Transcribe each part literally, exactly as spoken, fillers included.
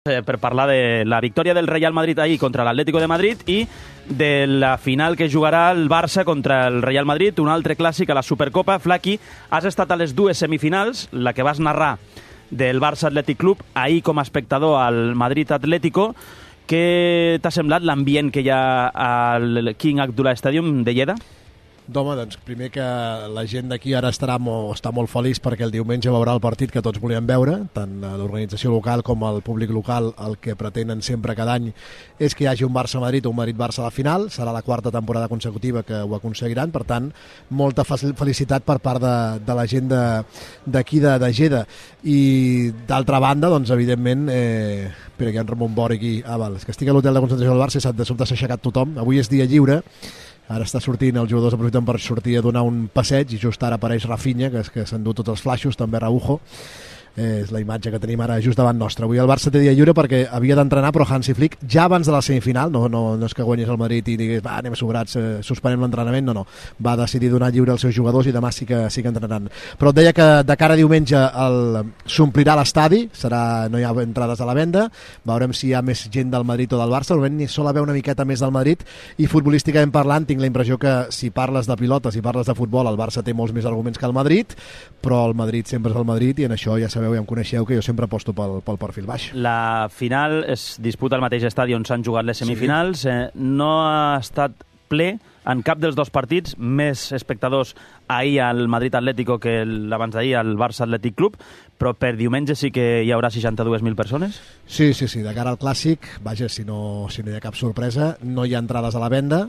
per parlar de la victòria del Real Madrid ahir contra l'Atlético de Madrid i de la final que jugarà el Barça contra el Real Madrid, un altre clàssic a la Supercopa. Flaqui, has estat a les dues semifinals, la que vas narrar del Barça Atlètic Club, ahir com a espectador al Madrid Atlético. Què t'ha semblat l'ambient que hi ha al King Abdullah Stadium de Lleida? Home, doncs primer que la gent d'aquí ara estarà molt, està molt feliç perquè el diumenge veurà el partit que tots volíem veure, tant l'organització local com el públic local. El que pretenen sempre cada any és que hi hagi un Barça-Madrid o un Madrid-Barça a la final. Serà la quarta temporada consecutiva que ho aconseguiran, per tant, molta felicitat per part de, de la gent d'aquí de, de Lleida. I d'altra banda, doncs, evidentment, eh, espera que hi ha en Ramon Bor aquí. Ah, val, és que estic a l'hotel de concentració del Barça i de sobte s'ha aixecat tothom. Avui és dia lliure. Ara està sortint, els jugadors aprofiten per sortir a donar un passeig i just ara apareix Rafinha, que és que s'endú tots els flaixos, també Araujo. Eh, és la imatge que tenim ara just davant nostre. Avui el Barça té dia lliure perquè havia d'entrenar, però Hansi Flick, ja abans de la semifinal, no, no, no és que guanyés el Madrid i digués, va, anem sobrats, eh, suspenem l'entrenament, no, no. Va decidir donar lliure als seus jugadors i demà sí que, sí que entrenaran. Però et deia que de cara a diumenge s'omplirà l'estadi, serà, no hi ha entrades a la venda, veurem si hi ha més gent del Madrid o del Barça, normalment ni sol haver una miqueta més del Madrid, i futbolísticament parlant tinc la impressió que si parles de pilota, si parles de futbol, el Barça té molts més arguments que el Madrid, però el Madrid sempre és el Madrid i en això ja sabeu, ja em coneixeu que jo sempre aposto pel, pel perfil baix. La final es disputa al mateix estadi on s'han jugat les semifinals. Sí. Eh, no ha estat ple en cap dels dos partits, més espectadors ahir al Madrid Atlético que l'abans d'ahir al Barça Atlètic Club, però per diumenge sí que hi haurà seixanta-dues mil persones? Sí, sí, sí, de cara al Clàssic, vaja, si no, si no hi ha cap sorpresa, no hi ha entrades a la venda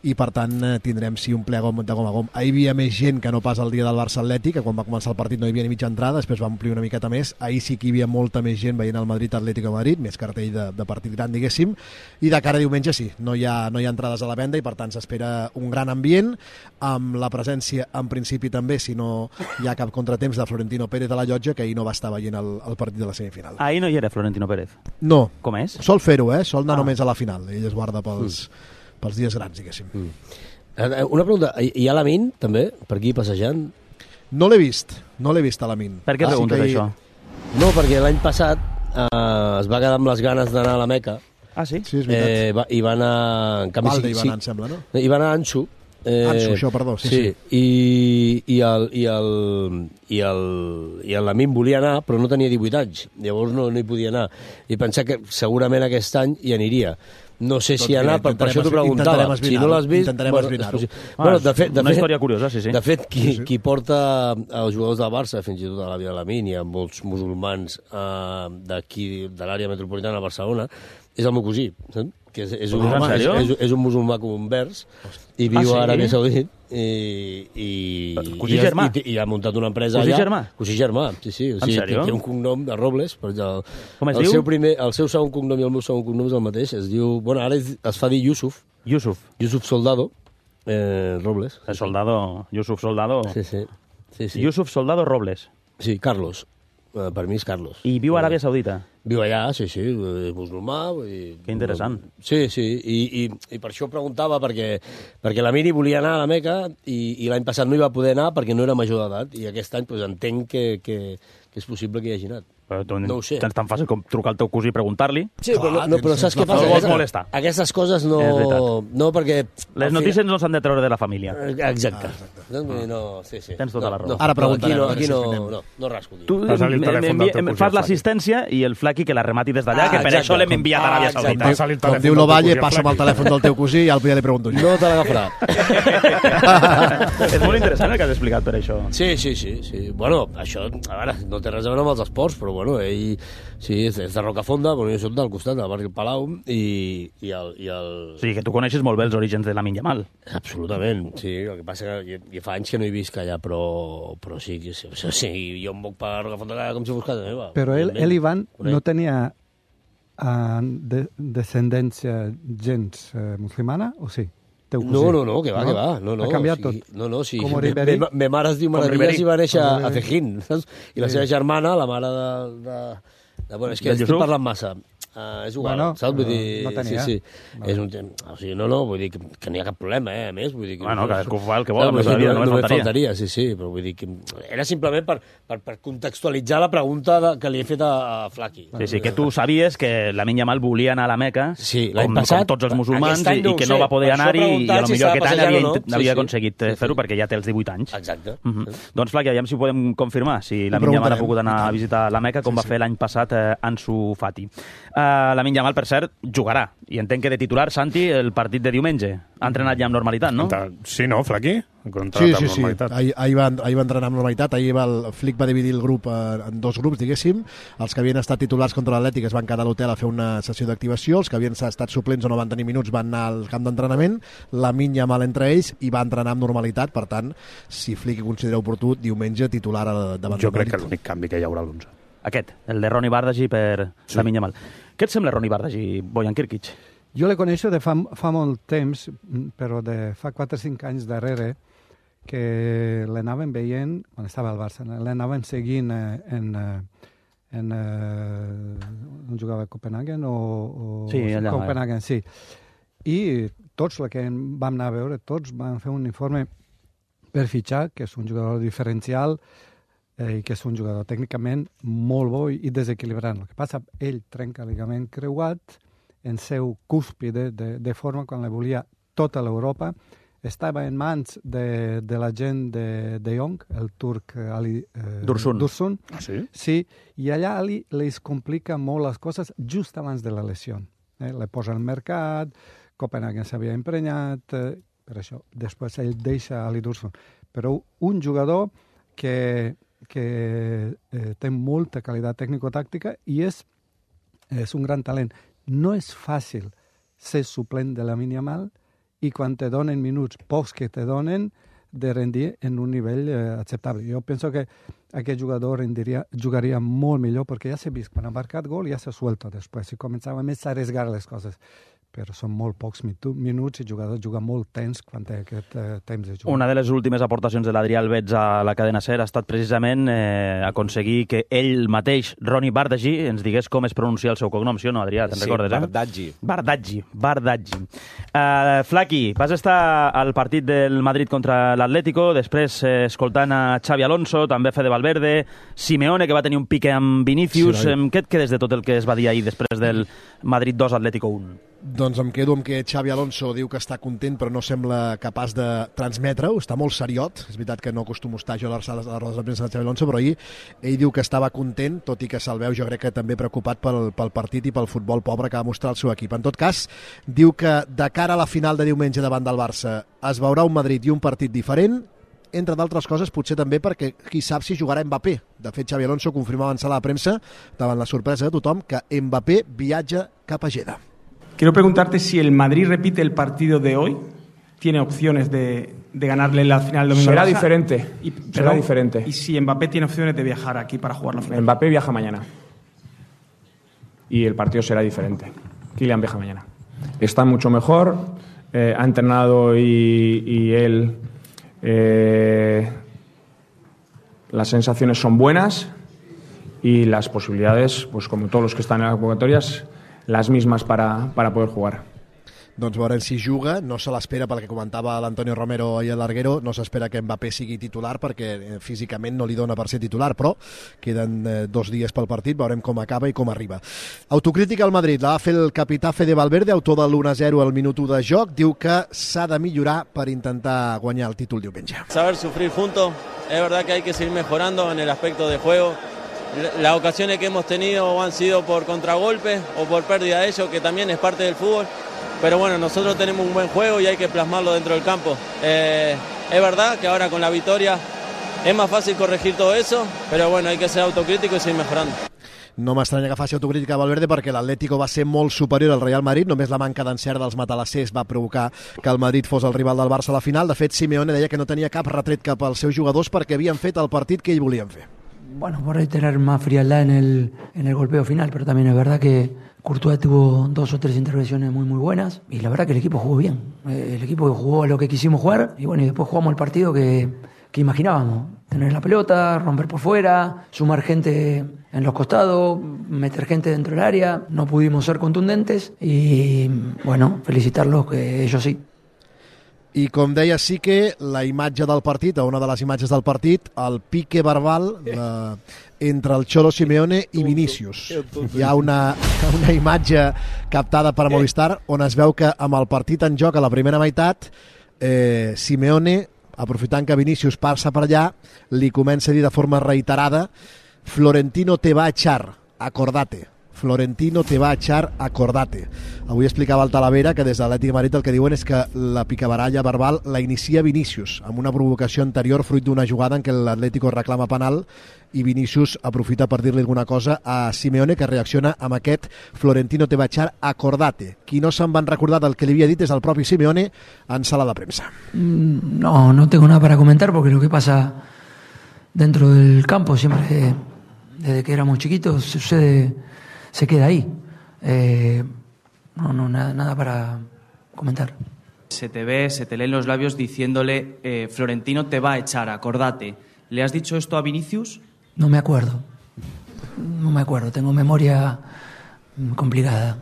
i per tant tindrem sí un ple de gom a gom. Ahir hi havia més gent que no pas el dia del Barça Atlètic, que quan va començar el partit no hi havia ni mitja entrada, després va omplir una miqueta més. Ahir sí que hi havia molta més gent veient el Madrid Atlético de Madrid, més cartell de, de partit gran, diguéssim, i de cara a diumenge sí, no hi ha, no hi ha entrades a la venda i per tant s'espera un gran ambient, amb la presència en principi també, si no hi ha cap contratemps, de Florentino Pérez de la Llotja, que ahir no va estar veient el, el partit de la semifinal. Ahir no hi era Florentino Pérez? No. Com és? Sol fer-ho, eh? Sol anar ah. només a la final. Ell es guarda pels, mm. pels dies grans, diguéssim. Mm. Una pregunta, hi ha l'Amin, també, per aquí passejant? No l'he vist, no l'he vist a l'Amin. Per què ah, preguntes sí això? Hi... No, perquè l'any passat eh, es va quedar amb les ganes d'anar a la Meca. Ah, sí? Sí, és veritat. Eh, va, I va anar... En canvi, Valde sí, hi va anar, sí. em sembla, no? Hi va anar Ansu. Eh, Ansu, això, perdó. Sí, sí. sí. I, i, el, i, el, i, el, i el Lamin volia anar, però no tenia divuit anys. Llavors no, no hi podia anar. I pensar que segurament aquest any hi aniria. No sé si hi ha anat, per, per això t'ho preguntava. Si no l'has vist... Intentarem esbrinar-ho. Ah, bueno, de fet, de una fet, història curiosa, sí, sí. De fet, qui, sí, sí. qui porta els jugadors del Barça, fins i tot a la Via Lamin, i a molts musulmans eh, d'aquí, de l'àrea metropolitana de Barcelona, és el meu cosí, saps? Que és, és, un, Home, és, és, és un musulmà convers i viu ah, sí? a Aràbia Saudita i, i, cosí i, germà? I, i ha muntat una empresa cosí allà. Germà? Cosí germà? Sí, sí. O sigui, té, té un cognom de Robles. Per el, Com es el diu? Seu primer, el seu segon cognom i el meu segon cognom és el mateix. Es diu... Bueno, ara es, es fa dir Yusuf. Yusuf. Yusuf Soldado eh, Robles. El soldado... Yusuf Soldado... Sí, sí. sí, sí. Yusuf Soldado Robles. Sí, Carlos. Uh, per mi és Carlos. I viu a Aràbia Saudita? Viu allà, sí, sí, és musulmà. I, que interessant. Sí, sí, i, i, i per això preguntava, perquè, perquè la Miri volia anar a la Meca i, i l'any passat no hi va poder anar perquè no era major d'edat, i aquest any pues, entenc que, que, que és possible que hi hagi anat. Però tu, no ho sé. És tan fàcil com trucar al teu cosí i preguntar-li. Sí, però, no, no, però saps què passa? No vols molestar. Aquestes coses no... No, perquè... Les notícies no s'han de treure de la família. Exacte. Ah, exacte. No, no, sí, sí. Tens tota no, la raó. No, Ara preguntarem. Aquí no, aquí no, no, no rasco. Tu fas l'assistència i el Flaqui que la remati des d'allà, ah, que per exacte. Això l'hem enviat a Aràbia Saudita. Ah, com diu l'Ovalle, passa'm el telèfon del teu cosí i ja li pregunto jo. No te l'agafarà. És molt interessant el que has explicat per això. Sí, sí, sí, sí. Bueno, això, a veure, no té res a veure amb els esports, però bueno, ell... Sí, és de Rocafonda, però jo soc del costat, del barri del Palau, i, i, el, i el... O sigui, que tu coneixes molt bé els orígens de Lamine Yamal. Absolutament, sí. El que passa que jo, jo fa anys que no he vist allà, però, però sí, sí, sí, sí, jo em moc per Rocafonda com si fos casa meva. Però ell, ell Ivan, no tenia uh, de, descendència gens uh, musulmana, o sí? No, no, no, que va, no? que va. No, no, ha canviat o sigui, tot. No, no, sí. Com me, me, me mare es diu Maravillas i va néixer a Cejín, saps? I la sí. seva germana, la mare de... de, de bueno, és que estic parlant massa. Uh, és igual, bueno, saps? Vull dir, no tenia. sí, sí. És un, o sigui, no, no, vull dir que, que no hi ha cap problema, eh, a més. Vull dir que, Bueno, no, cadascú fa el que vol, no, només faltaria. només faltaria, sí, sí, però vull dir que era simplement per, per, per contextualitzar la pregunta de, que li he fet a, a Flaqui. Sí, sí, que tu sabies que Lamine Yamal volia anar a la Meca, sí, com, passat, com tots els musulmans, i, no i que sé, no va poder anar-hi, i a lo si millor aquest any havia, no? sí, havia sí. aconseguit sí, sí. fer-ho perquè ja té els divuit anys. Exacte. Uh -huh. sí. Doncs, Flaqui, aviam si ho podem confirmar, si Lamine Yamal ha pogut anar a visitar la Meca, com sí, va sí. fer l'any passat eh, Ansu Fati. Uh, Lamine Yamal, per cert, jugarà, i entenc que de titular, Santi, el partit de diumenge. Ha entrenat ja amb normalitat, no? Sí, no, Flaqui? Sí, sí, sí. Ahir, ahir, va, ahir va entrenar amb normalitat. Ahir va, el Flick va dividir el grup en dos grups, diguéssim. Els que havien estat titulars contra l'Atlètic es van quedar a l'hotel a fer una sessió d'activació. Els que havien estat suplents o no van tenir minuts van anar al camp d'entrenament. Lamine Yamal entre ells i va entrenar amb normalitat. Per tant, si Flick considera oportú, diumenge titular davant Jo crec que l'únic canvi que hi haurà a l'onze. Aquest, el de Ronny Bardghji per sí. Lamine Yamal. Què et sembla Ronny Bardghji, Bojan Kirkic? Jo le coneixo de fa, fa molt temps, però de fa quatre o cinc anys darrere, que l'anaven veient, quan estava al Barça, l'anaven seguint eh, en... Eh, en eh, on jugava a Copenhagen o, o sí, allà, Copenhagen, eh. sí. I tots els que vam anar a veure, tots van fer un informe per fitxar, que és un jugador diferencial eh, i que és un jugador tècnicament molt bo i desequilibrant. El que passa, ell trenca el ligament creuat en seu cúspide de, de forma quan la volia tota l'Europa. Estava en mans de, de la gent de, de Jong, el turc Ali eh, Dursun. Dursun. Ah, sí? Sí, i allà Ali les complica molt les coses just abans de la lesió. Eh? Le posa al mercat, Copenhagen s'havia emprenyat, eh, per això. Després ell deixa Ali Dursun. Però un jugador que, que eh, té molta qualitat tècnico-tàctica i és, és un gran talent. No és fàcil ser suplent de Lamine Yamal i quan te donen minuts, pocs que te donen, de rendir en un nivell eh, acceptable. Jo penso que aquest jugador rendiria, jugaria molt millor perquè ja s'ha vist, quan ha marcat gol ja s'ha suelto després i començava més a arriesgar les coses. Però són molt pocs minuts i el jugador juga molt tens quan té aquest eh, temps de jugar. Una de les últimes aportacions de l'Adrià Albets a la cadena SER ha estat precisament eh, aconseguir que ell mateix, Ronny Bardghji, ens digués com es pronuncia el seu cognom, sí o no, Adrià? Te'n sí, recordes, eh? Bardghji. Bardghji, Bardghji. Uh, Flaqui, vas estar al partit del Madrid contra l'Atlético, després eh, escoltant a Xavi Alonso, també Fede Valverde, Simeone, que va tenir un pique amb Vinícius. Sí, què et quedes de tot el que es va dir ahir després del Madrid dos, Atlético un? Doncs em quedo amb que Xavi Alonso diu que està content però no sembla capaç de transmetre-ho, està molt seriot, és veritat que no acostumo a estar jo a les rodes de premsa de Xavi Alonso, però ahir ell diu que estava content, tot i que se'l veu jo crec que també preocupat pel, pel partit i pel futbol pobre que va mostrar el seu equip. En tot cas, diu que de cara a la final de diumenge davant del Barça es veurà un Madrid i un partit diferent, entre d'altres coses potser també perquè qui sap si jugarà Mbappé. De fet, Xavi Alonso confirmava en sala de premsa, davant la sorpresa de tothom, que Mbappé viatja cap a Jeddah. Quiero preguntarte si el Madrid repite el partido de hoy, tiene opciones de, de ganarle la final domingo. Será diferente, y, será pero, diferente. Y si Mbappé tiene opciones de viajar aquí para jugar la final. Mbappé viaja mañana. Y el partido será diferente. Kylian viaja mañana. Está mucho mejor, eh, ha entrenado y, y él... Eh, las sensaciones son buenas y las posibilidades, pues como todos los que están en las convocatorias, las mismas para, para poder jugar. Doncs veurem si juga, no se l'espera pel que comentava l'Antonio Romero i el Larguero, no s'espera que Mbappé sigui titular perquè eh, físicament no li dona per ser titular, però queden eh, dos dies pel partit, veurem com acaba i com arriba. Autocrítica al Madrid, la va fer el capità Fede Valverde, autor de l'u a zero al minut u de joc, diu que s'ha de millorar per intentar guanyar el títol diumenge. Saber sufrir juntos, es verdad que hay que seguir mejorando en el aspecto de juego. Las ocasiones que hemos tenido han sido por contragolpes o por pérdida de ellos, que también es parte del fútbol. Pero bueno, nosotros tenemos un buen juego y hay que plasmarlo dentro del campo. Eh, es verdad que ahora con la victoria es más fácil corregir todo eso, pero bueno, hay que ser autocrítico y seguir mejorando. No m'estranya que faci autocrítica a Valverde perquè l'Atlético va ser molt superior al Real Madrid, només la manca d'encert dels matalassers va provocar que el Madrid fos el rival del Barça a la final. De fet, Simeone deia que no tenia cap retret cap als seus jugadors perquè havien fet el partit que ells volien fer. Bueno, por ahí tener más frialdad en el, en el golpeo final, pero también es verdad que Courtois tuvo dos o tres intervenciones muy muy buenas y la verdad que el equipo jugó bien. El equipo jugó a lo que quisimos jugar y bueno, y después jugamos el partido que, que imaginábamos. Tener la pelota, romper por fuera, sumar gente en los costados, meter gente dentro del área. No pudimos ser contundentes y, bueno, felicitarlos, que ellos sí. I com deia, sí que la imatge del partit, o una de les imatges del partit, el pique verbal de, entre el Cholo Simeone i Vinícius. Hi ha una, una imatge captada per Movistar on es veu que amb el partit en joc a la primera meitat, eh, Simeone, aprofitant que Vinícius passa per allà, li comença a dir de forma reiterada: Florentino te va a echar, acordate. Florentino te va a echar, acordate. Avui explicava el Talavera que des de l'Atlètic de Madrid el que diuen és que la picabaralla verbal la inicia Vinícius, amb una provocació anterior fruit d'una jugada en què l'Atlético reclama penal i Vinícius aprofita per dir-li alguna cosa a Simeone, que reacciona amb aquest Florentino te va a echar, acordate. Qui no se'n van recordar del que li havia dit és el propi Simeone en sala de premsa. No, no tengo nada para comentar porque lo que pasa dentro del campo siempre, desde que éramos chiquitos, sucede, se queda ahí. Eh, no, no, nada, nada para comentar. Se te ve, se te leen los labios diciéndole eh, Florentino te va a echar, acordate. ¿Le has dicho esto a Vinícius? No me acuerdo. No me acuerdo, tengo memoria complicada.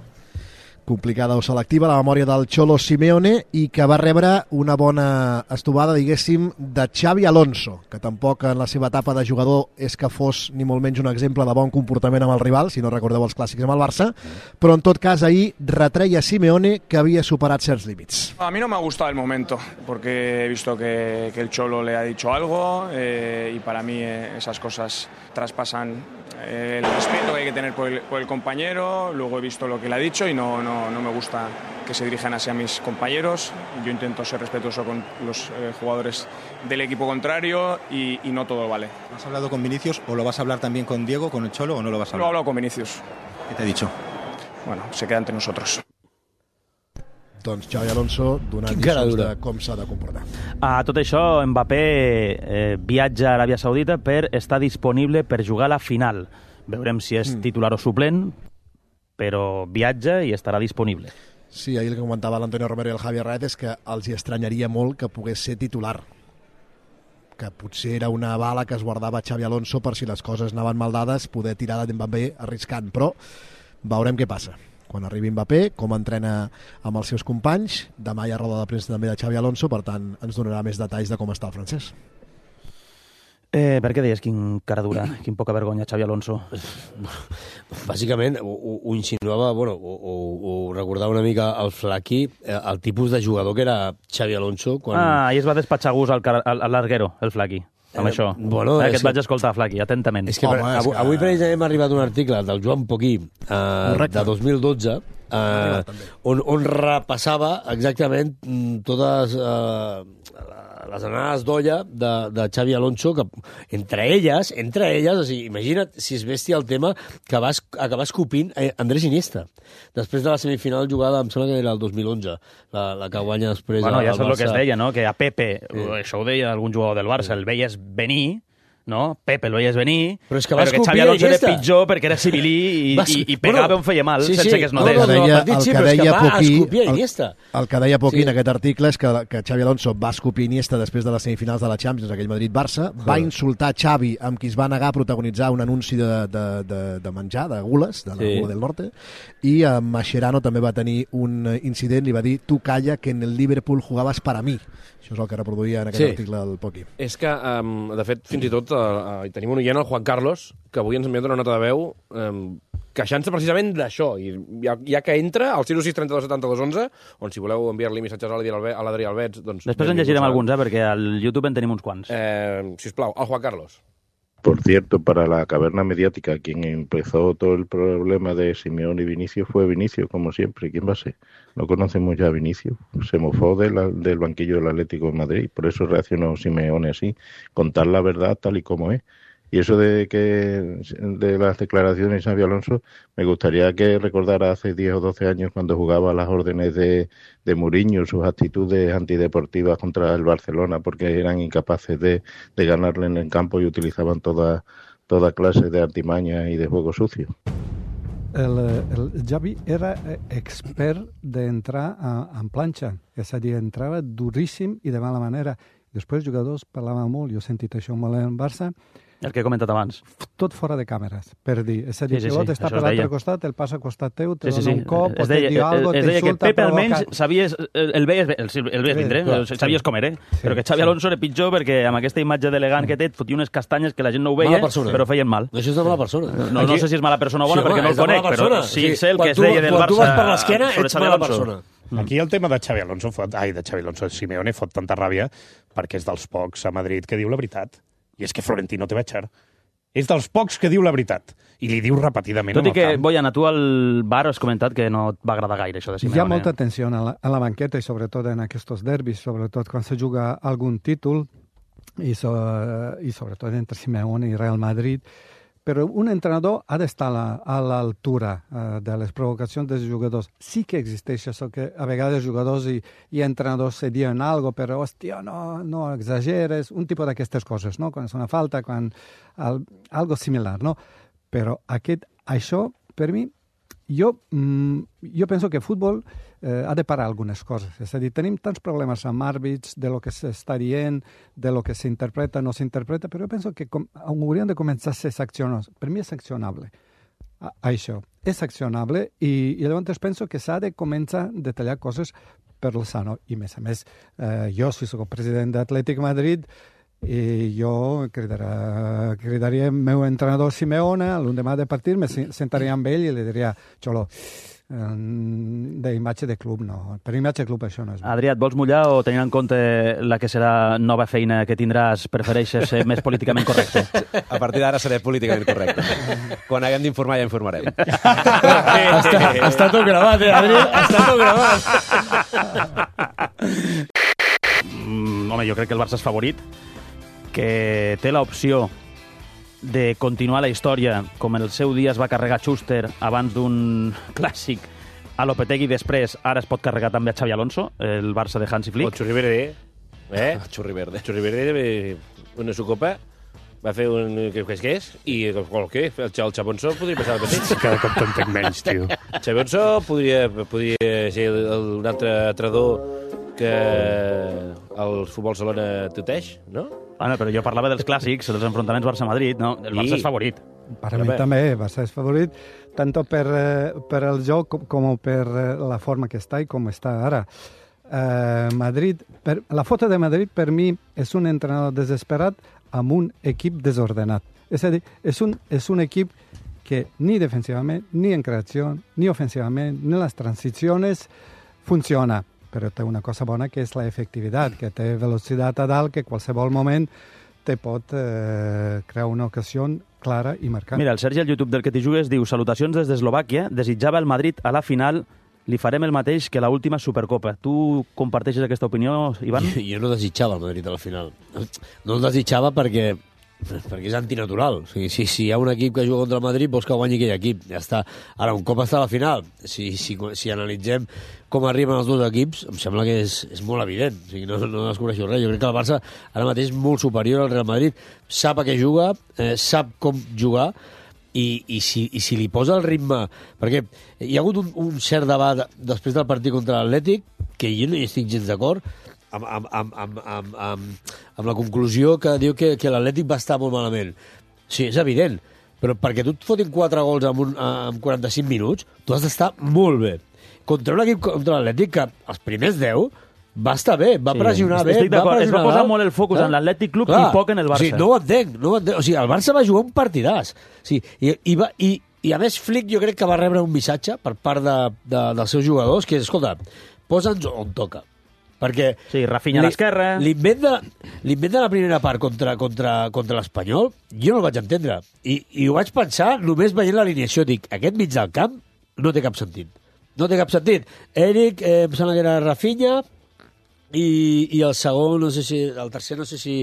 Complicada o selectiva, la memòria del Cholo Simeone, i que va rebre una bona estovada, diguéssim, de Xavi Alonso, que tampoc en la seva etapa de jugador és que fos ni molt menys un exemple de bon comportament amb el rival, si no recordeu els clàssics amb el Barça, però en tot cas ahir retreia Simeone que havia superat certs límits. A mí no me ha gustado el momento, porque he visto que, que el Cholo le ha dicho algo eh, y para mí eh, esas cosas traspasan el respeto que hay que tener por el, por el compañero. Luego he visto lo que le ha dicho y no, no, no me gusta que se dirijan así a mis compañeros. Yo intento ser respetuoso con los eh, jugadores del equipo contrario y, y no todo vale. ¿Has hablado con Vinícius o lo vas a hablar también con Diego, con el Cholo, o no lo vas a hablar? Lo he hablado con Vinícius. ¿Qué te ha dicho? Bueno, se queda entre nosotros. Doncs Xavi Alonso donant lliçons de com s'ha de comportar. A tot això, Mbappé eh, viatja a Aràbia Saudita per estar disponible per jugar a la final. Veurem si és titular o suplent, però viatja i estarà disponible. Sí, ahir el que comentava l'Antonio Romero i el Javi Herrera és que els hi estranyaria molt que pogués ser titular, que potser era una bala que es guardava Xavi Alonso per si les coses anaven mal dades, poder tirar de Mbappé arriscant, però veurem què passa. Quan arribi Mbappé, com entrena amb els seus companys. Demà hi ha roda de premsa també de Xavi Alonso, per tant ens donarà més detalls de com està el francès. Eh, per què deies quin cara dura, quin poca vergonya Xavi Alonso? Bàsicament ho, ho insinuava, bueno, ho, ho, ho recordava una mica el Flaky, el tipus de jugador que era Xavi Alonso. Quan... Ah, i es va despatxar gust al, al, al larguero, el Flaky. Amb eh, això. Bueno, eh, que et vaig escoltar, Flaky, atentament. És que Home, avui, que... avui precisament m'ha arribat un article del Joan Poquí eh, de dos mil dotze eh, on, on repassava exactament totes eh, les anades d'olla de, de Xavi Alonso, que entre elles, entre elles, o sigui, imagina't si es vestia el tema que va acabar escopint Andrés Iniesta. Després de la semifinal jugada, em sembla que era el dos mil onze, la, la que guanya després bueno, al ja Barça. Bueno, ja saps el que es deia, no? Que a Pepe, sí. Això ho deia algun jugador del Barça, sí. El veies venir, no? Pepe el veies venir, però, és que, però que Xavi Alonso era pitjor perquè era civilí i, vas... i, i pegava bueno, on feia mal, sí, sense sí. que es notés. No, no, no, el, el, sí, que deia Poquí, el, el que deia Poquí sí. en aquest article és que, que Xavi Alonso va escopir Iniesta després de les semifinals de la Champions, aquell Madrid-Barça, sí. va insultar Xavi, amb qui es va negar a protagonitzar un anunci de, de, de, de menjar, de gules, de la sí. Gula del Norte, i amb Mascherano també va tenir un incident, li va dir, tu calla, que en el Liverpool jugaves para mí. Això és el que reproduïa en aquest sí. article del Poquí. És que, um, de fet, fins i tot uh, uh, tenim un oient, el Juan Carlos, que avui ens ha enviat una nota de veu um, queixant-se precisament d'això. I ja, ja que entra al zero sis trenta-dos setanta-dos onze, on si voleu enviar-li missatges a l'Adrià Albets... Doncs, després en llegirem alguns, eh, perquè al YouTube en tenim uns quants. Eh, sisplau, el Juan Carlos. Por cierto, para la caverna mediática, quien empezó todo el problema de Simeone y Vinicius fue Vinicius, como siempre. ¿Quién va a ser? No conocemos ya a Vinicius. Se mofó de la, del banquillo del Atlético de Madrid. Por eso reaccionó Simeone así. Contar la verdad tal y como es. Y eso de que de las declaraciones de Xavi Alonso, me gustaría que recordara hace diez o doce años cuando jugaba a las órdenes de, de Mourinho, sus actitudes antideportivas contra el Barcelona, porque eran incapaces de, de ganarle en el campo y utilizaban toda, toda clase de artimañas y de juego sucio. El, el Xavi era expert d'entrar en planxa, és a dir, entrava duríssim i de mala manera. Després els jugadors parlaven molt, jo he sentit això molt en Barça, el que he comentat abans. Tot fora de càmeres, per dir. És a dir, Sí, sí, que l'altre sí, està això per es l'altre deia. costat, el passa al costat teu, te Sí, sí, dona sí. un cop, o Es te deia, diu algo, es deia que t'insulta, Pepe almenys provoca... sabies, el, el veies, el, el veies vindre, clar, el sabies com era, però que Xavi Alonso era pitjor perquè amb aquesta imatge d'elegant que té et fotia unes castanyes que la gent no ho veia, Mala persona. però feien mal. Això és de mala persona. No, no sé si és mala persona o bona, Sí, perquè home, no és el de mala conec, però persona. sí Sí, sé el quan que es tu- deia del quan Barça tu vas per l'esquena, sobre ets Xavi mala Alonso. persona. Aquí el tema de Xavi Alonso fot, ai, de Xavi Alonso, Simeone fot tanta ràbia perquè és dels pocs a Madrid que diu la veritat. I és que Florentino te va echar. És dels pocs que diu la veritat. I li diu repetidament Tot i en el que, camp. Boyan, a tu al bar has comentat que no et va agradar gaire això de Simeone. Hi ha molta tensió a la, a la banqueta i sobretot en aquests derbis, sobretot quan se juga algun títol i, so, i sobretot entre Simeone i Real Madrid. Però un entrenador ha d'estar a l'altura uh, de les provocacions dels jugadors. Sí que existeix això, que a vegades jugadors i, i entrenadors se diuen algo, però, hòstia, no, no exageres, un tipus d'aquestes coses, no? Quan és una falta, quan... Al, algo similar, no? Però aquest, això, per mi, jo, mm, jo penso que el futbol eh, ha de parar algunes coses. És a dir, tenim tants problemes amb àrbits, de lo que s'està dient, de lo que s'interpreta, no s'interpreta, però jo penso que com, hauríem de començar a ser sancionats. Per mi és sancionable, a, això. És sancionable i, i llavors penso que s'ha de començar a detallar coses per lo sano. I, a més a més, eh, jo, si soc president d'Atlètic Madrid, i jo cridarà, cridaria el meu entrenador Simeone l'endemà de partit, me sentaria amb ell i li diria, Xolo, d'imatge de club no, per imatge de club això no és bo. Adrià, et vols mullar o tenint en compte la que serà nova feina que tindràs, prefereixes ser més políticament correcte? A partir d'ara seré políticament correcte. Quan haguem d'informar ja informarem. està, està tot gravat, eh, Adrià? Està tot gravat. Mm, home, jo crec que el Barça és favorit, que té l'opció de continuar la història com en el seu dia es va carregar Schuster abans d'un clàssic a Lopetegui, després ara es pot carregar també a Xavi Alonso, el Barça de Hansi Flick. O Churri Verde, eh? Churri Verde. Churri Verde, una sucopa, va fer un... què és que és? I el què? El, el Xabonso podria passar el petit. Cada cop t'entenc menys, tio. Xabonso podria, podria ser el, el, un altre entrenador que el Futbol Salona tuteix, no? Bueno, però jo parlava dels clàssics, dels enfrontaments Barça-Madrid, no? El Barça I... és favorit. Per a mi també, Barça és favorit, tant per, eh, per el joc com, com per eh, la forma que està i com està ara. Eh, Madrid, per, la foto de Madrid per mi és un entrenador desesperat amb un equip desordenat. És a dir, és un, és un equip que ni defensivament, ni en creació, ni ofensivament, ni en les transicions funciona. Però té una cosa bona que és la efectivitat, que té velocitat a dalt, que qualsevol moment te pot eh, crear una ocasió clara i marcant. Mira, el Sergi al YouTube del que t'hi jugues diu: salutacions des d'Eslovàquia, desitjava el Madrid a la final, li farem el mateix que la última Supercopa. Tu comparteixes aquesta opinió, Ivan? Jo, jo no desitjava el Madrid a la final. No el desitjava perquè perquè és antinatural. O sigui, si, si hi ha un equip que juga contra el Madrid, vols que guanyi aquell equip. Ja està. Ara, un cop està a la final, si, si, si analitzem com arriben els dos equips, em sembla que és, és molt evident. O sigui, no, no descobreixo res. Jo crec que el Barça ara mateix és molt superior al Real Madrid. Sap a què juga, eh, sap com jugar, i, i, si, i si li posa el ritme... Perquè hi ha hagut un, un cert debat després del partit contra l'Atlètic, que jo no hi estic gens d'acord, amb, amb, amb, amb, amb, amb, amb la conclusió que diu que, que l'Atlètic va estar molt malament. Sí, és evident, però perquè tu et fotin quatre gols en, un, en quaranta-cinc minuts, tu has d'estar molt bé. Contra un equip contra l'Atlètic que els primers deu va estar bé, va Sí, pressionar bé, estic va d'acord. Es va pressionar posar dalt. molt el focus Eh? en l'Atlètic Club Clar. i poc en el Barça. O sigui, no ho entenc, no ho entenc. O sigui, el Barça va jugar un partidàs. O sigui, i, i, va, i, I a més Flick jo crec que va rebre un missatge per part de, de, dels seus jugadors que és, escolta, posa'ns on toca. Perquè sí, Rafinha a l'esquerra. L'invent de, l'invent de la primera part contra, contra, contra l'Espanyol, jo no el vaig entendre. I, I ho vaig pensar només veient l'alineació. Dic, aquest mig del camp no té cap sentit. No té cap sentit. Eric, eh, em sembla que era Rafinha, i, i el segon, no sé si... El tercer, no sé si,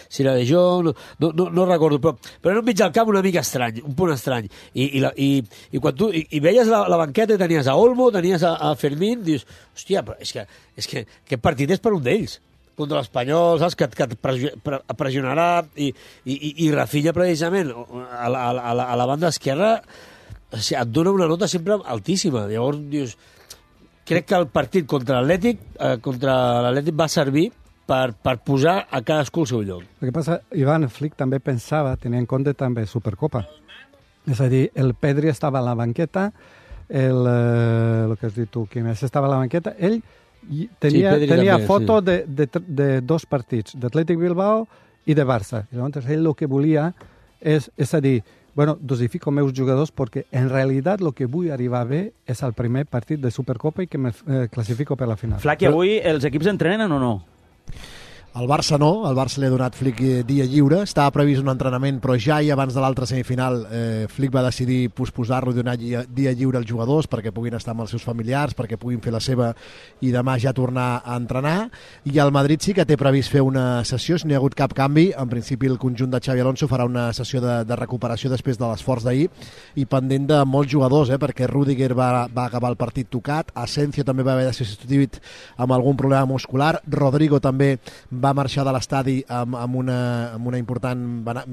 si era de Jong, no, no, no, no recordo, però, però era un mig del camp una mica estrany, un punt estrany. I, i, la, i, i quan tu i, i veies la, la banqueta i tenies a Olmo, tenies a, a Fermín, dius, hòstia, però és que, és que aquest partit és per un d'ells contra l'Espanyol, saps, que, que et pressionarà, i, i, i Rafinha precisament a la, a la, a la banda esquerra, o sigui, et dona una nota sempre altíssima. Llavors dius, crec que el partit contra l'Atlètic, eh, contra l'Atlètic va servir per, per posar a cadascú al seu lloc. El que passa, Ivan Flick també pensava, tenia en compte també Supercopa. És a dir, el Pedri estava a la banqueta, el, eh, el que has dit tu, Quim, estava a la banqueta, ell tenia, sí, tenia també, foto sí. de, de, de dos partits, d'Atlètic Bilbao i de Barça. I llavors ell el que volia és, és a dir, bueno, dosifico meus jugadors perquè en realitat el que vull arribar bé és el primer partit de Supercopa i que me eh, classifico per la final. Flaqui, avui els equips entrenen o no? El Barça no, el Barça li ha donat Flick dia lliure, estava previst un entrenament, però ja i abans de l'altra semifinal eh, Flick va decidir posposar-lo i donar dia, dia lliure als jugadors perquè puguin estar amb els seus familiars, perquè puguin fer la seva i demà ja tornar a entrenar. I el Madrid sí que té previst fer una sessió, si no hi ha hagut cap canvi, en principi el conjunt de Xavi Alonso farà una sessió de, de recuperació després de l'esforç d'ahir i pendent de molts jugadors, eh, perquè Rüdiger va, va acabar el partit tocat, Asensio també va haver de ser substituït amb algun problema muscular, Rodrigo també va va marxar de l'estadi amb, amb, una, amb una important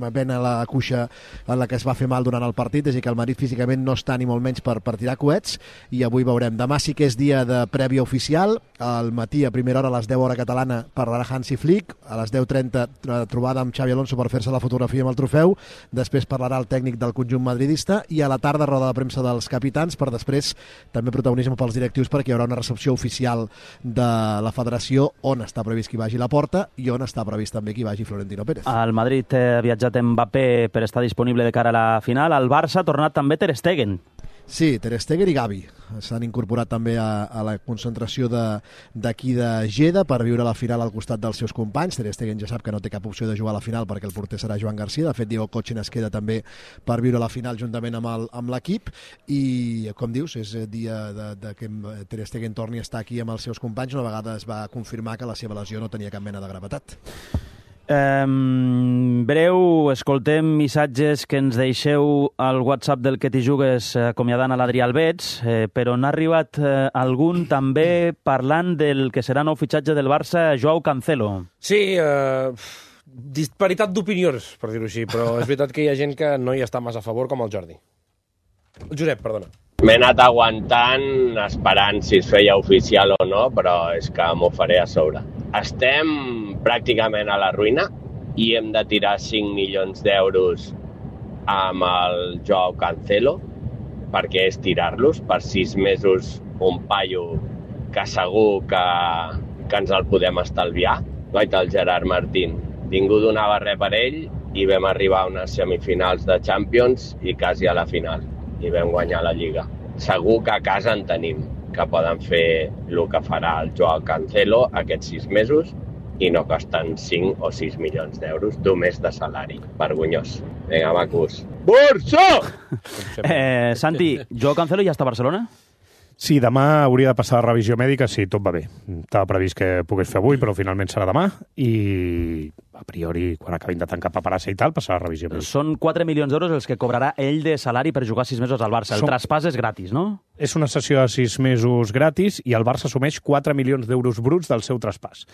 vena a la cuixa en la que es va fer mal durant el partit, és a dir que el Madrid físicament no està ni molt menys per, per tirar coets i avui veurem. Demà sí que és dia de prèvia oficial, al matí a primera hora a les deu hora catalana parlarà Hansi Flick, a les deu trenta trobada amb Xavi Alonso per fer-se la fotografia amb el trofeu, després parlarà el tècnic del conjunt madridista i a la tarda roda de premsa dels capitans per després també protagonisme pels directius perquè hi haurà una recepció oficial de la federació on està previst que hi vagi la Porta i on està previst també que hi vagi Florentino Pérez. El Madrid ha viatjat Mbappé per estar disponible de cara a la final. El Barça ha tornat també Ter Stegen. Sí, Ter Stegen i Gavi s'han incorporat també a, a la concentració d'aquí de, de Geda per viure la final al costat dels seus companys. Ter Stegen ja sap que no té cap opció de jugar a la final perquè el porter serà Joan Garcia. De fet, Diego Cochen es queda també per viure la final juntament amb l'equip i, com dius, és dia de, de que Ter Stegen torni a estar aquí amb els seus companys una vegada es va confirmar que la seva lesió no tenia cap mena de gravetat. Um, breu, escoltem missatges que ens deixeu al WhatsApp del Que t'hi jugues acomiadant a l'Adrià Albets, eh, però n'ha arribat eh, algun també parlant del que serà nou fitxatge del Barça, Joao Cancelo. Sí, eh, disparitat d'opinions, per dir-ho així, però és veritat que hi ha gent que no hi està massa a favor, com el Jordi. El Josep, perdona. M'he anat aguantant, esperant si es feia oficial o no, però és que m'ho faré a sobre. Estem pràcticament a la ruïna i hem de tirar cinc milions d'euros amb el Joao Cancelo, perquè és tirar-los per sis mesos un paio que segur que, que ens el podem estalviar. Guaita, el Gerard Martín. Ningú donava res per ell i vam arribar a unes semifinals de Champions i quasi a la final. I vam guanyar la Lliga. Segur que a casa en tenim, que poden fer el que farà el Joao Cancelo aquests sis mesos i no costen cinc o sis milions d'euros d'un mes de salari. Vergonyós. Vinga, macos. Barça! Eh, Santi, Joao Cancelo ja està a Barcelona? Sí, demà hauria de passar la revisió mèdica, sí, tot va bé. Estava previst que pogués fer avui, però finalment serà demà i a priori, quan acabin de tancar paperassa i tal, passarà la revisió mèdica. Són quatre milions d'euros els que cobrarà ell de salari per jugar sis mesos al Barça. El Som... traspàs és gratis, no? És una sessió de sis mesos gratis i el Barça assumeix quatre milions d'euros bruts del seu traspàs.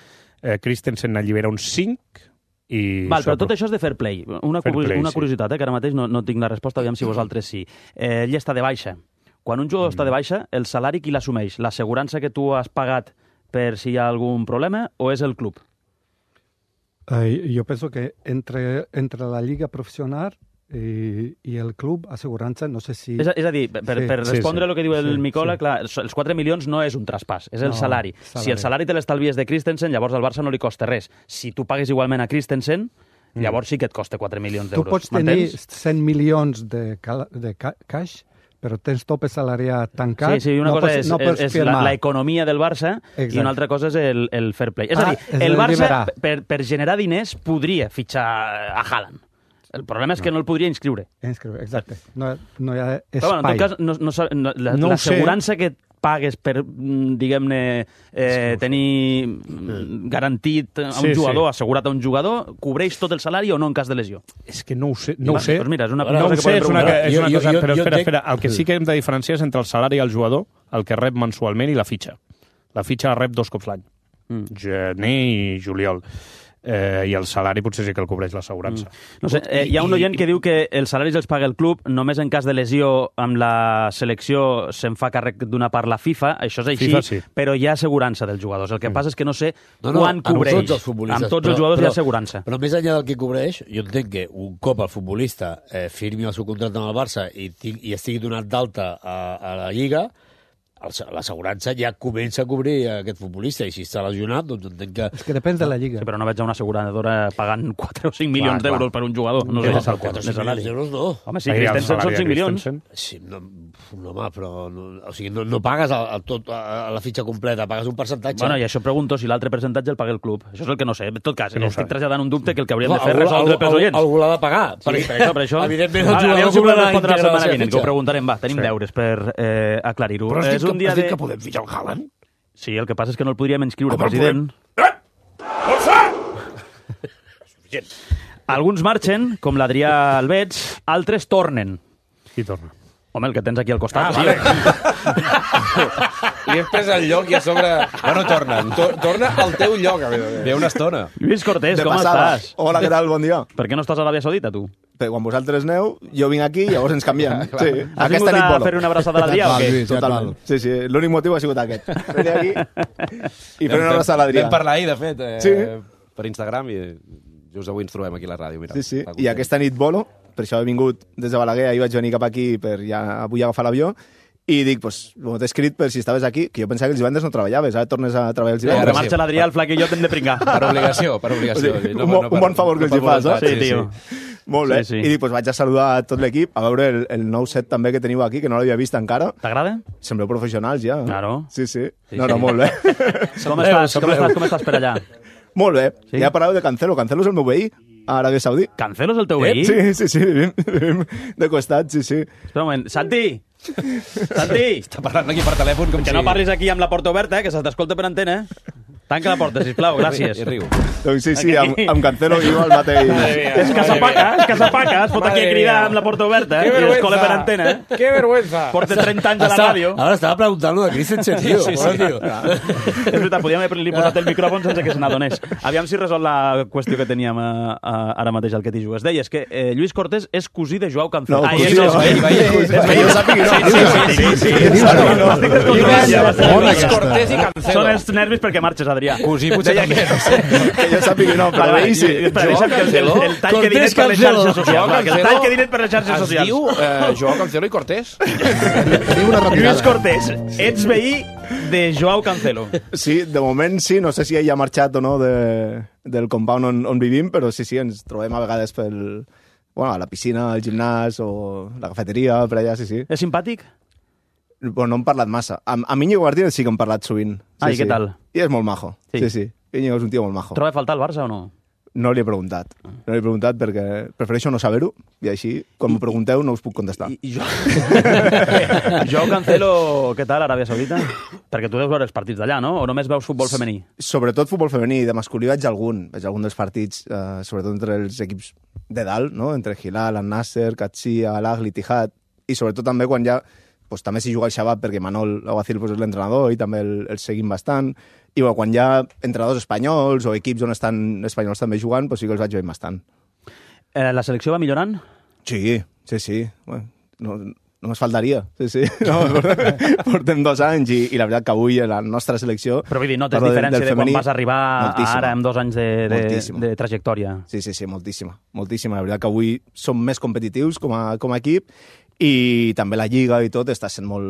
Eh, Christensen n'allibera uns cinc i... Val, però tot això és de fair play. Una, fair play, una curiositat, eh, que ara mateix no, no tinc la resposta, aviam si vosaltres sí. Eh, ell està de baixa. Quan un jugador mm. està de baixa, el salari qui l'assumeix? L'assegurança que tu has pagat per si hi ha algun problema o és el club? Eh, jo penso que entre, entre la lliga professional i, i el club, assegurança, no sé si... És a, és a dir, per, sí. per respondre sí, sí. el que diu el sí, Micola, sí. clar, els quatre milions no és un traspàs, és el no, salari. salari. Si el salari te l'estalvies de Christensen, llavors al Barça no li costa res. Si tu pagues igualment a Christensen, mm. llavors sí que et costa quatre milions d'euros. Tu pots tenir cent milions de, de cash, però tens tope salariat tancat. Sí, sí, una no cosa pots, és, no és, és la, la economia del Barça Exacte. I una altra cosa és el, el fair play. És ah, a dir, el Barça, per, per generar diners, podria fitxar a Haaland. El problema és que no el podria inscriure. Inscriure, exacte. No, no hi ha espai. Però, bueno, en tot cas, no, no, no, la, no l'assegurança que pagues per, diguem-ne, eh, tenir garantit a un sí, jugador, sí. assegurat a un jugador, cobreix tot el salari o no en cas de lesió? És que no ho sé. No ho sé. Doncs mira, és una no cosa que sé, podem preguntar. És una, és una jo, cosa, jo, però jo espera, dec... espera. El que sí que hem de diferenciar és entre el salari al jugador, el que rep mensualment, i la fitxa. La fitxa la rep dos cops l'any. Mm. Gener i juliol. eh, i el salari potser sí que el cobreix l'assegurança. Mm. No sé, eh, hi ha un oient que diu que els salaris els paga el club, només en cas de lesió amb la selecció se'n fa càrrec d'una part la FIFA, això és així, FIFA, sí. però hi ha assegurança dels jugadors. El que passa és que no sé No, no, quan cobreix. amb tots els futbolistes. Amb tots però, els jugadors però, hi ha assegurança. Però més enllà del que cobreix, jo entenc que un cop el futbolista eh, firmi el seu contracte amb el Barça i, i estigui donat d'alta a, a la Lliga, l'assegurança ja comença a cobrir aquest futbolista, i si està lesionat, doncs entenc que... És que depèn de la Lliga. Sí, però no veig una asseguradora pagant quatre o cinc milions d'euros per un jugador. No sé, no, quatre o cinc milions d'euros no. Home, sí, Christensen són cinc milions. Sí, no, no, home, però... No, o sigui, no, no pagues a, a, tot, a, a la fitxa completa, pagues un percentatge. Bueno, i això pregunto si l'altre percentatge el paga el club. Això és el que no sé. En tot cas, no estic traslladant un dubte que el que hauríem no, de fer és resoldre pels oients. Algú l'ha de pagar. Sí, per això, per això. Evidentment, el jugador jugador si podem cobrarà respondre la íntegra setmana la vinent, que ho fitxa. preguntarem. Va, tenim Sí. deures per eh, aclarir-ho. Però has dit, És un que, dia has dit de... que podem fitxar el Haaland? Sí, el que passa és que no el podríem inscriure, Com el president. Alguns marxen, com l'Adrià Albets, altres tornen. Qui torna? Home, el que tens aquí al costat. Ah, vale. Li hem pres el lloc i a sobre... Bueno, tornen. To torna al teu lloc. A veure. Ve una estona. Lluís Cortés, De com passada. estàs? Hola, què tal? Bon dia. Per què no estàs a l'Aràbia Saudita, tu? Però quan vosaltres aneu, jo vinc aquí i llavors ens canviem. Clar. Sí. Has Aquesta vingut nit a volo. fer una abraçada a l'Adrià o què? Totalment. Sí, sí. L'únic motiu ha sigut aquest. Venir aquí i fer una abraçada a l'Adrià. Vam parlar ahir, de fet, eh, Sí. per Instagram, i just avui ens trobem aquí a la ràdio. Mira, Sí, sí. està I content. aquesta nit volo, per això he vingut des de Balaguer, ahir vaig venir cap aquí per ja avui agafar l'avió, i dic, pues, bueno, t'he escrit per si estaves aquí, que jo pensava que els divendres no treballaves, ara tornes a treballar els Ara divendres. marxa l'Adrià, el Flac i jo t'hem de pringar. Per obligació, per obligació. O sigui, No, un, no, no, per- un bon favor que no els hi per fas, voluntat, eh? Sí, tio. Molt bé. Sí, sí. I dic, pues, vaig a saludar a tot l'equip, a veure el, el nou set també que teniu aquí, que no l'havia vist encara. T'agrada? Sembleu professionals ja. Claro. Sí, sí. Sí, no, sí. no, molt bé. Com estàs? Com estàs? Com estàs per allà? Molt bé. Sí? Ja parleu de Cancelo. Cancelo és el meu veí a Aràbia Saudí. Cancelo és el teu veí? Sí, sí, sí. Vivim, vivim de costat, sí, sí. Espera un moment. Santi! Santi! Està parlant aquí per telèfon com Que si... no parlis aquí amb la porta oberta, eh, que se t'escolta per antena. Tanca la porta, sisplau, gràcies. I riu. Doncs sí, sí, amb, amb Cancelo viu al mateix. És que s'apaca, és que s'apaca, es fot aquí a Madre cridar mía. amb la porta oberta Qué i es vergüenza. cola per antena. ¡Qué vergüenza! Porta trenta anys a la Està- ràdio. Ara estava preguntant lo de Christensen, tio. Sí, sí, Hola, sí. tio. És veritat, podíem haver-li posat el micròfon sense que se n'adonés. Aviam si resol la qüestió que teníem a, a, ara mateix al que t'hi jugues. Deies que eh, Lluís Cortés és cosí de Joao Cancelo. No, ah, cosí és, no. és veí, veí. És veí. Jo sàpiga, no. Sí, sí, sí, sí, sí. No, no, Estic descontrolat ja. Bona Luis aquesta. Cortés i Cancelo. Són els nervis perquè marxes, Adrià. Cosí potser també, no sé. Que jo sàpiga, no, però Vale, vale, veí sí. espera, deixa'm que el, el, el tall que dinet per les xarxes socials. Va, que el tall que dinet per les xarxes Es socials. diu eh, Joao Cancelo i Cortés. Tenim una Lluís retirada. Cortés, ets veí de Joao Cancelo. Sí, de moment sí, no sé si ell ha marxat o no de, del compound on, on vivim, però sí, sí, ens trobem a vegades pel, bueno, a la piscina, al gimnàs o la cafeteria, per allà, sí, sí. És simpàtic? Bueno, no hem parlat massa. Amb, amb Íñigo Martínez sí que hem parlat sovint. Sí, Ah, i sí. què tal? I és molt majo. Sí. Sí, sí. Íñigo és un tio molt majo. Troba a faltar el Barça o no? No li he preguntat. No li he preguntat perquè prefereixo no saber-ho i així, quan m'ho pregunteu, no us puc contestar. I, i jo... Joao Cancelo, què tal, Aràbia Saudita? Perquè tu deus veure els partits d'allà, no? O només veus futbol femení? Sobretot futbol femení, de masculí veig algun. Veig algun dels partits, eh, sobretot entre els equips de dalt, no? Entre Hilal, Al Nasser, Qadsia, Al Ahly, Tihad, i sobretot també quan ja pues, també s'hi juga el Shabab perquè Manol Aguacil pues, és l'entrenador i també el, el seguim bastant. I bueno, quan hi ha entrenadors espanyols o equips on estan espanyols també jugant, pues, sí que els vaig veient bastant. Eh, la selecció va millorant? Sí, sí, sí. Bueno, no, només faltaria. Sí, sí. No, portem dos anys i, i la veritat que avui la nostra selecció... Però vull dir, notes parlo diferència de, femení, quan vas arribar moltíssima. ara amb dos anys de, de, Moltíssima. de trajectòria. Sí, sí, sí, moltíssima. Moltíssima. La veritat que avui som més competitius com a, com a equip i també la Lliga i tot està sent molt...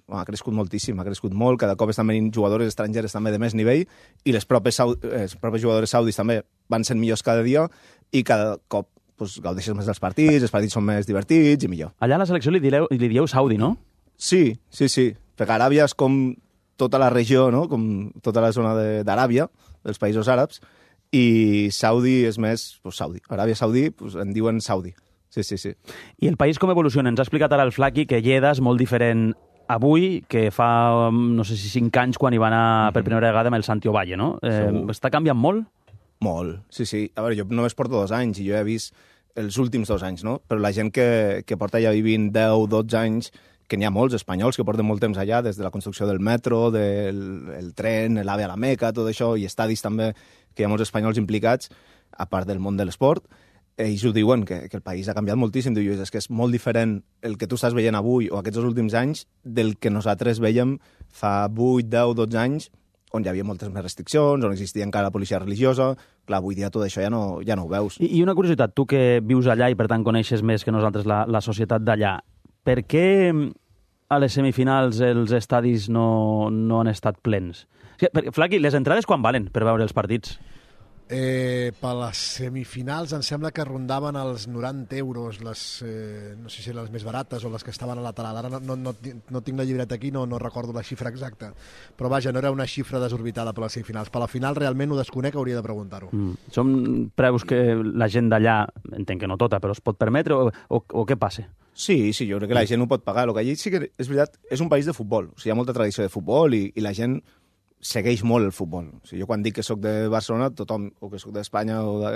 Bueno, ha crescut moltíssim, ha crescut molt. Cada cop estan venint jugadores estrangeres també de més nivell i les propes, sau... les propes jugadores saudis també van sent millors cada dia i cada cop pues, gaudeixes més dels partits, els partits són més divertits i millor. Allà a la selecció li, direu, li dieu Saudi, no? Sí, sí, sí. Perquè Aràbia és com tota la regió, no? Com tota la zona de- d'Aràbia, dels països àrabs, i Saudi és més pues, Saudi. Aràbia Saudí pues, en diuen Saudi. Sí, sí, sí. I el país com evoluciona? Ens ha explicat ara el Flaqui que Lleida és molt diferent avui que fa, no sé si cinc anys, quan hi va anar per primera vegada amb el Santiago Valle, no? Eh, està canviant molt? Molt, sí, sí. A veure, jo només porto dos anys i jo he vist els últims dos anys, no? Però la gent que, que porta ja vivint deu, dotze anys, que n'hi ha molts espanyols que porten molt temps allà, des de la construcció del metro, del el tren, l'AVE a la Meca, tot això, i estadis també, que hi ha molts espanyols implicats, a part del món de l'esport. Ells ho diuen, que, que el país ha canviat moltíssim. Diu, és que és molt diferent el que tu estàs veient avui o aquests últims anys del que nosaltres veiem fa vuit, deu, dotze anys, on hi havia moltes més restriccions, on existia encara la policia religiosa. Clar, avui dia tot això ja no, ja no ho veus. I, I una curiositat, tu que vius allà i per tant coneixes més que nosaltres la, la societat d'allà, per què a les semifinals els estadis no, no han estat plens? Flaqui, les entrades quan valen per veure els partits? Eh, per les semifinals em sembla que rondaven els noranta euros, les, eh, no sé si les més barates o les que estaven a lateral. Ara no, no, no, no tinc la llibreta aquí, no, no recordo la xifra exacta. Però vaja, no era una xifra desorbitada per les semifinals. Per la final realment ho desconec, hauria de preguntar-ho. Mm. Són preus que la gent d'allà, entenc que no tota, però es pot permetre o, o, o què passa? Sí, sí, jo crec que la gent ho pot pagar. El que allí sí que és veritat, és un país de futbol. O sigui, hi ha molta tradició de futbol i, i la gent segueix molt el futbol. O sigui, jo quan dic que sóc de Barcelona, tothom, o que sóc d'Espanya, o de,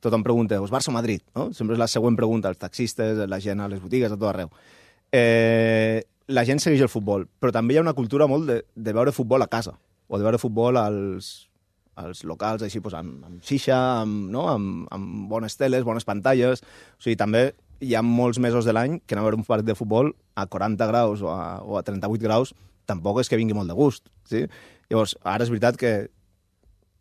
tothom pregunta, és Barça o Madrid? No? Sempre és la següent pregunta, als taxistes, la gent a les botigues, a tot arreu. Eh, la gent segueix el futbol, però també hi ha una cultura molt de, de veure futbol a casa, o de veure futbol als, als locals, així, doncs, amb, amb xixa, amb, no? amb, amb bones teles, bones pantalles. O sigui, també hi ha molts mesos de l'any que anar a veure un partit de futbol a quaranta graus o a, o a trenta-vuit graus tampoc és que vingui molt de gust, sí? Llavors, ara és veritat que,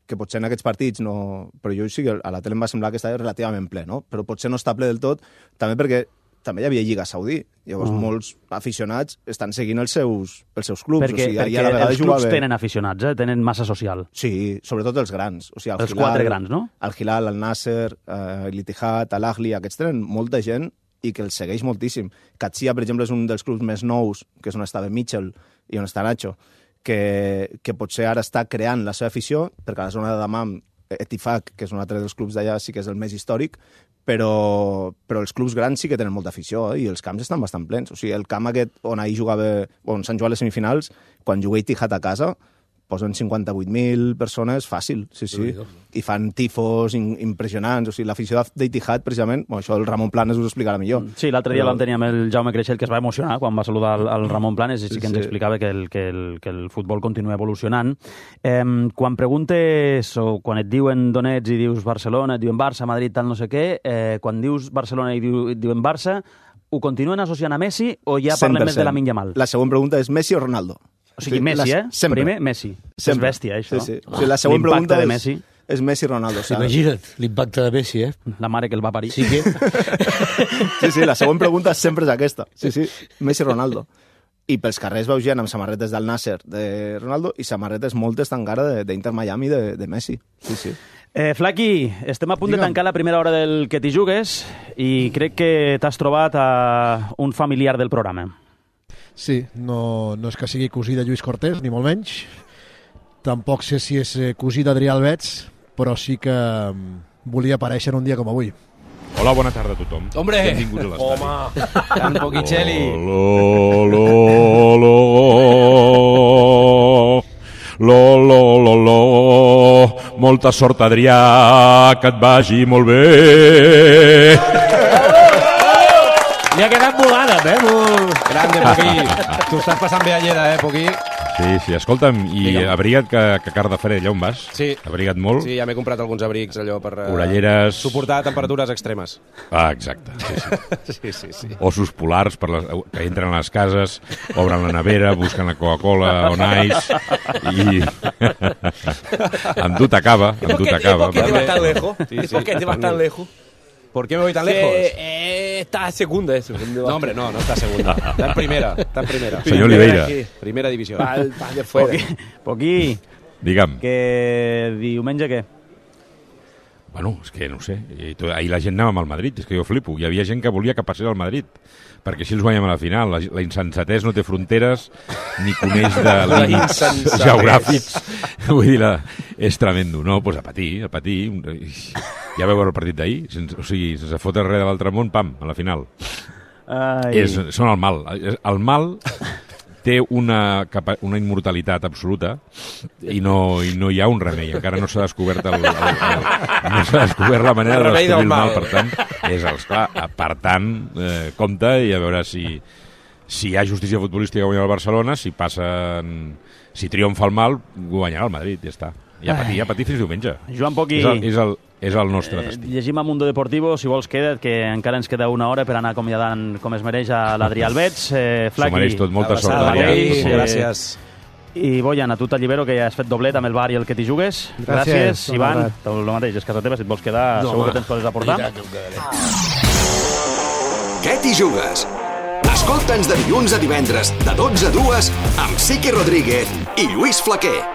que potser en aquests partits no... Però jo sí que a la tele em va semblar que estava relativament ple, no? Però potser no està ple del tot, també perquè també hi havia Lliga Saudí. Llavors, oh. molts aficionats estan seguint els seus, els seus clubs. Perquè, o sigui, perquè a la els clubs jugava... tenen aficionats, eh? Tenen massa social. Sí, sobretot els grans. O sigui, el els Hilal, quatre grans, no? El Hilal, el Nasser, eh, l'Ittihad, l'Ahli, aquests tenen molta gent i que els segueix moltíssim. Qadsia, per exemple, és un dels clubs més nous, que és on estava Mitchell i on està Nacho, que, que potser ara està creant la seva afició, perquè a la zona de Dammam, Etifak, que és un altre dels clubs d'allà, sí que és el més històric, però, però els clubs grans sí que tenen molta afició, eh? I els camps estan bastant plens. O sigui, el camp aquest on ahir jugava, on s'han jugat les semifinals, quan jugué Etihad a casa, posen cinquanta-vuit mil persones fàcil, sí, sí. I fan tifos in, impressionants. O sigui, l'afició d'Etihad, precisament, bueno, això el Ramon Planes us ho explicarà millor. Sí, l'altre dia Però... vam tenir amb el Jaume Creixell, que es va emocionar quan va saludar el, el Ramon Planes, i sí que ens sí. explicava que el, que, el, que el futbol continua evolucionant. Eh, quan preguntes, o quan et diuen d'on ets i dius Barcelona, et diuen Barça, Madrid, tal, no sé què, eh, quan dius Barcelona i diu, et diuen Barça, ho continuen associant a Messi o ja parlem més de Lamine Yamal? La següent pregunta és Messi o Ronaldo? O sigui, Messi, eh? Sempre. Primer, Messi. Sempre. És bèstia, això. Sí, sí. O sigui, la següent pregunta de és, Messi. és Messi-Ronaldo. O sigui, imagina't l'impacte de Messi, eh? La mare que el va parir. Sí, que... sí, sí, la següent pregunta sempre és aquesta. Sí, sí, Messi-Ronaldo. I pels carrers veu gent amb samarretes del Nasser de Ronaldo i samarretes moltes encara d'Inter Miami de, de Messi. Sí, sí. Eh, Flaqui, estem a punt Digue'm. de tancar la primera hora del Que t'hi jugues i crec que t'has trobat a un familiar del programa. Sí, no, no és que sigui cosí de Lluís Cortés, ni molt menys. Tampoc sé si és cosí d'Adrià Albets, però sí que volia aparèixer un dia com avui. Hola, bona tarda a tothom. Hombre! Benvinguts a l'estadi. Home! Tan poquicelli! Lo, lo, lo, lo, lo, lo, lo. Molta sort, Adrià, que et vagi molt bé. Li ha quedat volada, eh? Grande, Poquí. Tu estàs passant bé a Lleida, eh, Poquí? Sí, sí, escolta'm, i Digue'm. abriga't que, que car de fred, allà on vas? Sí. Abriga't molt? Sí, ja m'he comprat alguns abrics, allò, per uh, orelleres... suportar temperatures extremes. Ah, exacte. Sí, sí. sí, sí, sí. Osos polars per les, que entren a les cases, obren la nevera, busquen la Coca-Cola on ice i... amb tu t'acaba, amb tu t'acaba. ¿Por qué te vas tan lejos? Sí, sí. ¿Por qué te vas tan lejos? ¿Por qué me voy tan lejos? Eh, está segunda, eso. No, hombre, no, no está segunda. Está en primera, está en primera. Señor Oliveira. Primera división. Va, va de fuera. Poquí, Poquí. Digue'm. Que diumenge què? Bueno, és que no ho sé. I to, ahir la gent anava amb el Madrid, és que jo flipo. Hi havia gent que volia que passés al Madrid, perquè així els guanyem a la final. La, la insensatès no té fronteres ni coneix de límits geogràfics. Vull dir, la, és tremendo. No, doncs a patir, a patir. Ja veu veure el partit d'ahir? Sense, o sigui, sense fotre res de l'altre món, pam, a la final. Ai. És, són el mal. El mal té una, una immortalitat absoluta i no, i no hi ha un remei. Encara no s'ha descobert el, el, el, no s'ha descobert la manera de descobrir el mal. Per tant, és, esclar, per tant, eh, compte i a veure si, si hi ha justícia futbolística guanyar el Barcelona, si passen... Si triomfa el mal, guanyarà el Madrid, ja està. I a patir, a patir fins diumenge. Joan Poqui... És el, és el, és el nostre eh, destí. Llegim a Mundo Deportivo, si vols queda't, que encara ens queda una hora per anar acomiadant com es mereix a l'Adrià Albets. Eh, Flaqui, S'ho mereix tot, molta sort, Adrià. Eh, gràcies. I Boyan, a tu t'allibero, que ja has fet doblet amb el bar i el que t'hi jugues. Gràcies. Gràcies Ivan. El mateix, és casa teva, si et vols quedar, No, segur home. que tens coses a portar. Què t'hi jugues? Escolta'ns de dilluns a divendres, de dotze a dues, amb Siqui Rodríguez i Lluís Flaquer.